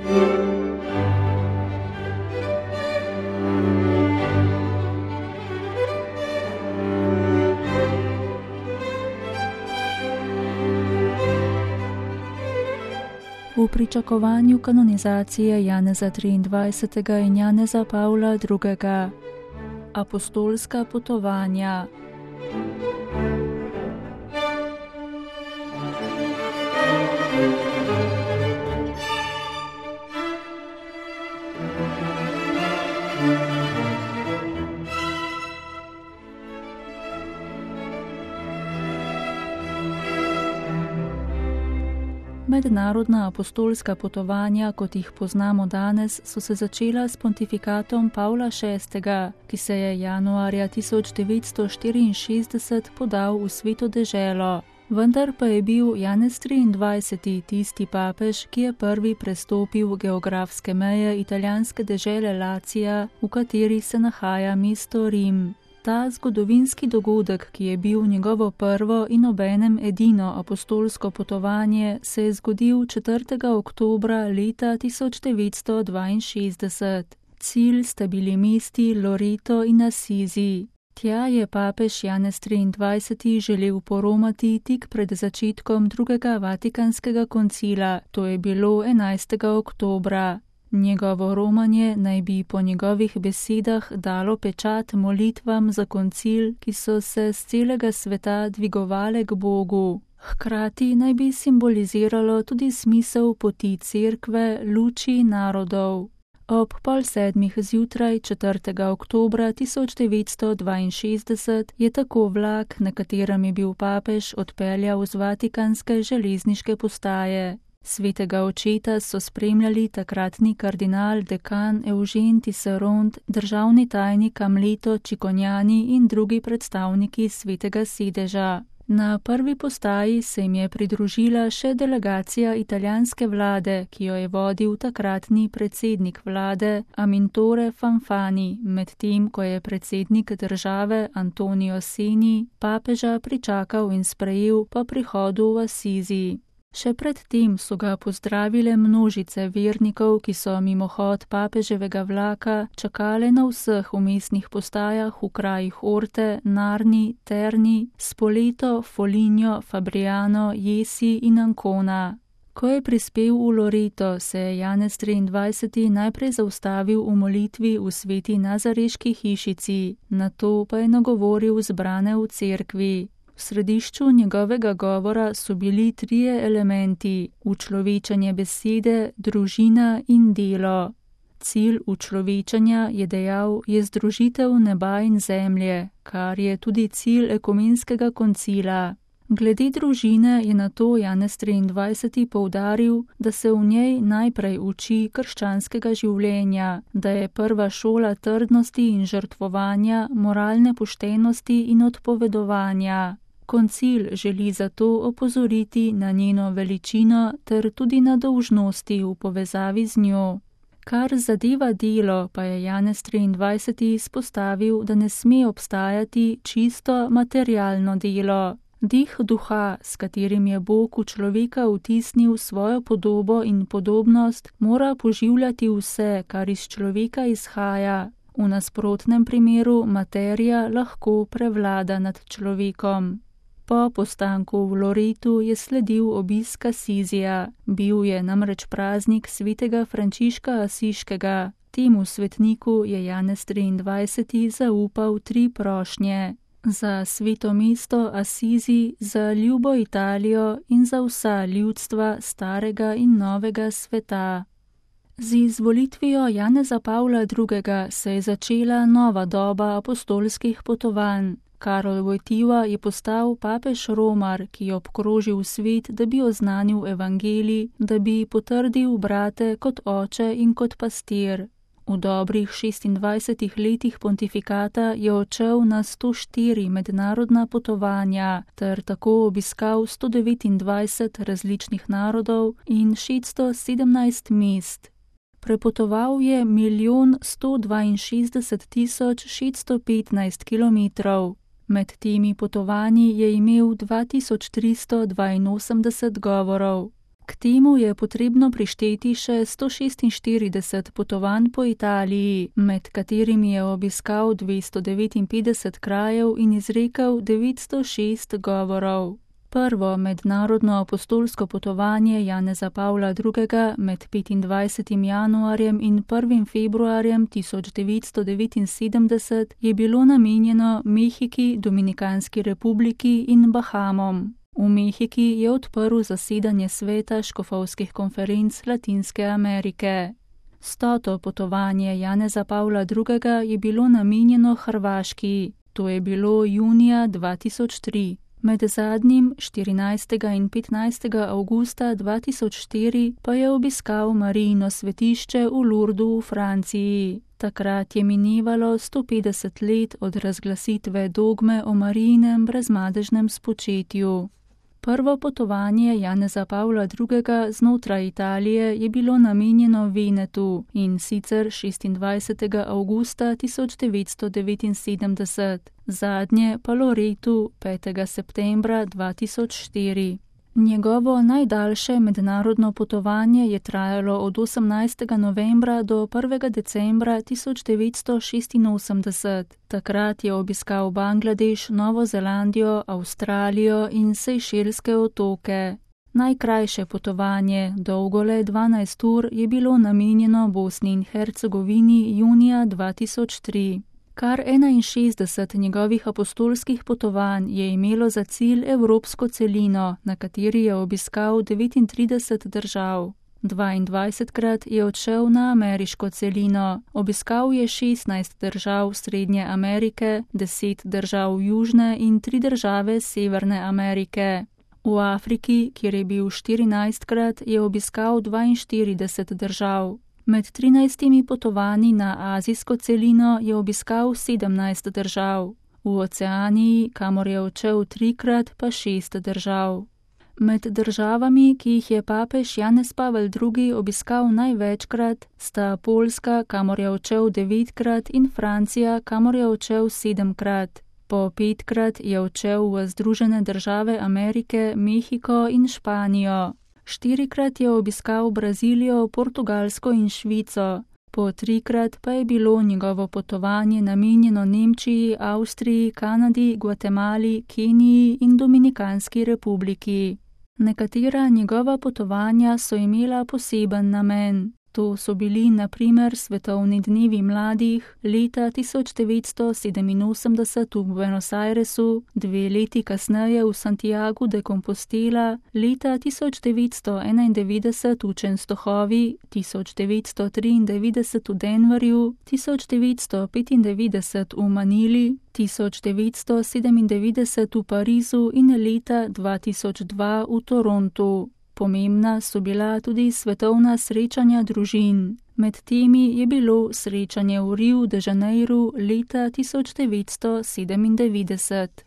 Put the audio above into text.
V pričakovanju kanonizacije Janeza 23. in Janeza Pavla II. Apostolska potovanja. Mednarodna apostolska potovanja, kot jih poznamo danes, so se začela s pontifikatom Pavla VI., ki se je januarja 1964 podal v Sveto deželo. Vendar pa je bil Janez 23. tisti papež, ki je prvi prestopil geografske meje italijanske dežele Lacija, v kateri se nahaja mesto Rim. Ta zgodovinski dogodek, ki je bil njegovo prvo in obenem edino apostolsko potovanje, se je zgodil 4. oktobra leta 1962. Cilj sta bili mesti Loreto in Assisi. Tja je papež Janez 23. želel poromati tik pred začetkom drugega Vatikanskega koncila, to je bilo 11. oktobra. Njegovo romanje naj bi po njegovih besedah dalo pečat molitvam za koncil, ki so se z celega sveta dvigovale k Bogu. Hkrati naj bi simboliziralo tudi smisel poti cerkve, luči narodov. Ob 6:30 zjutraj 4. oktobra 1962 je tako vlak, na katerem je bil papež, odpeljal z vatikanske železniške postaje. Svetega očeta so spremljali takratni kardinal dekan Eugen Tisserand, državni tajnik Amleto Cicognani in drugi predstavniki svetega sedeža. Na prvi postaji se jim je pridružila še delegacija italijanske vlade, ki jo je vodil takratni predsednik vlade Amintore Fanfani, medtem ko je predsednik države Antonio Seni papeža pričakal in sprejel po prihodu v Assisi. Še pred tem so ga pozdravile množice vernikov, ki so mimohod papeževega vlaka čakale na vseh vmesnih postajah v krajih Orte, Narni, Terni, Spoleto, Foligno, Fabriano, Jesi in Ancona. Ko je prispel v Loreto, se je Janez 23. najprej zaustavil v molitvi v sveti nazareški hišici, nato pa je nagovoril zbrane v cerkvi. V središču njegovega govora so bili trije elementi: učlovečanje besede, družina in delo. Cilj učlovečanja, je dejal, je združitev neba in zemlje, kar je tudi cilj ekumenskega koncila. Glede družine je nato Janez 23. poudaril, da se v njej najprej uči krščanskega življenja, da je prva šola trdnosti in žrtvovanja, moralne poštenosti in odpovedovanja. Koncil želi zato opozoriti na njeno veličino ter tudi na dolžnosti v povezavi z njo. Kar zadeva delo, pa je Janez 23. izpostavil, da ne sme obstajati čisto materialno delo. Dih duha, s katerim je Bog v človeka vtisnil svojo podobo in podobnost, mora poživljati vse, kar iz človeka izhaja. V nasprotnem primeru materija lahko prevlada nad človekom. Po postanku v Loretu je sledil obisk Assisija. Bil je namreč praznik svetega Frančiška Asiškega. Temu svetniku je Janez 23. zaupal 3 prošnje. Za sveto mesto Assisi, za ljubo Italijo in za vsa ljudstva starega in novega sveta. Z izvolitvijo Janeza Pavla II. Se je začela nova doba apostolskih potovanj. Karol Wojtyła je postal papež Romar, ki je obkrožil svet, da bi oznanil evangelij, da bi potrdil brate kot oče in kot pastir. V dobrih 26 letih pontifikata je odšel na 104 mednarodna potovanja ter tako obiskal 129 različnih narodov in 617 mest. Prepotoval je 1.162.615 kilometrov. Med temi potovanji je imel 2382 govorov. K temu je potrebno prišteti še 146 potovanj po Italiji, med katerimi je obiskal 259 krajev in izrekel 906 govorov. Prvo mednarodno apostolsko potovanje Janeza Pavla II. Med 25. januarjem in 1. februarjem 1979 je bilo namenjeno Mehiki, Dominikanski republiki in Bahamom. V Mehiki je odprl zasedanje sveta škofovskih konferenc Latinske Amerike. 100. potovanje Janeza Pavla II. Je bilo namenjeno Hrvaški, to je bilo junija 2003. Med zadnjim 14. in 15. avgusta 2004 pa je obiskal Marijino svetišče v Lourdu v Franciji. Takrat je minevalo 150 let od razglasitve dogme o Marijinem brezmadežnem spočetju. Prvo potovanje Janeza Pavla II. Znotraj Italije je bilo namenjeno Venetu, in sicer 26. avgusta 1979, zadnje pa Loretu 5. septembra 2004. Njegovo najdaljše mednarodno potovanje je trajalo od 18. novembra do 1. decembra 1986. Takrat je obiskal Bangladeš, Novo Zelandijo, Avstralijo in Sejšelske otoke. Najkrajše potovanje, dolgo le 12 ur, je bilo namenjeno Bosni in Hercegovini junija 2003. Kar 61 njegovih apostolskih potovanj je imelo za cilj evropsko celino, na kateri je obiskal 39 držav. 22krat je odšel na ameriško celino, obiskal je 16 držav Srednje Amerike, 10 držav Južne in 3 države Severne Amerike. V Afriki, kjer je bil 14krat, je obiskal 42 držav. Med 13 potovanji na azijsko celino je obiskal 17 držav. V Oceaniji, kamor je odšel 3krat, pa 6 držav. Med državami, ki jih je papež Janez Pavel II. Obiskal največkrat, sta Poljska, kamor je odšel 9krat, in Francija, kamor je odšel 7krat. Po 5krat je odšel v Združene države Amerike, Mehiko in Španijo. 4krat je obiskal Brazilijo, Portugalsko in Švico. Po 3krat pa je bilo njegovo potovanje namenjeno Nemčiji, Avstriji, Kanadi, Gvatemali, Keniji in Dominikanski republiki. Nekatera njegova potovanja so imela poseben namen. To so bili na primer svetovni dnevi mladih leta 1987 v Buenos Airesu, 2 leti kasneje v Santiagu de Compostela, leta 1991 v Częstochowi, 1993 v Denverju, 1995 v Manili, 1997 v Parizu in leta 2002 v Torontu. Pomembna so bila tudi svetovna srečanja družin. Med temi je bilo srečanje v Riu de Janeiru leta 1997.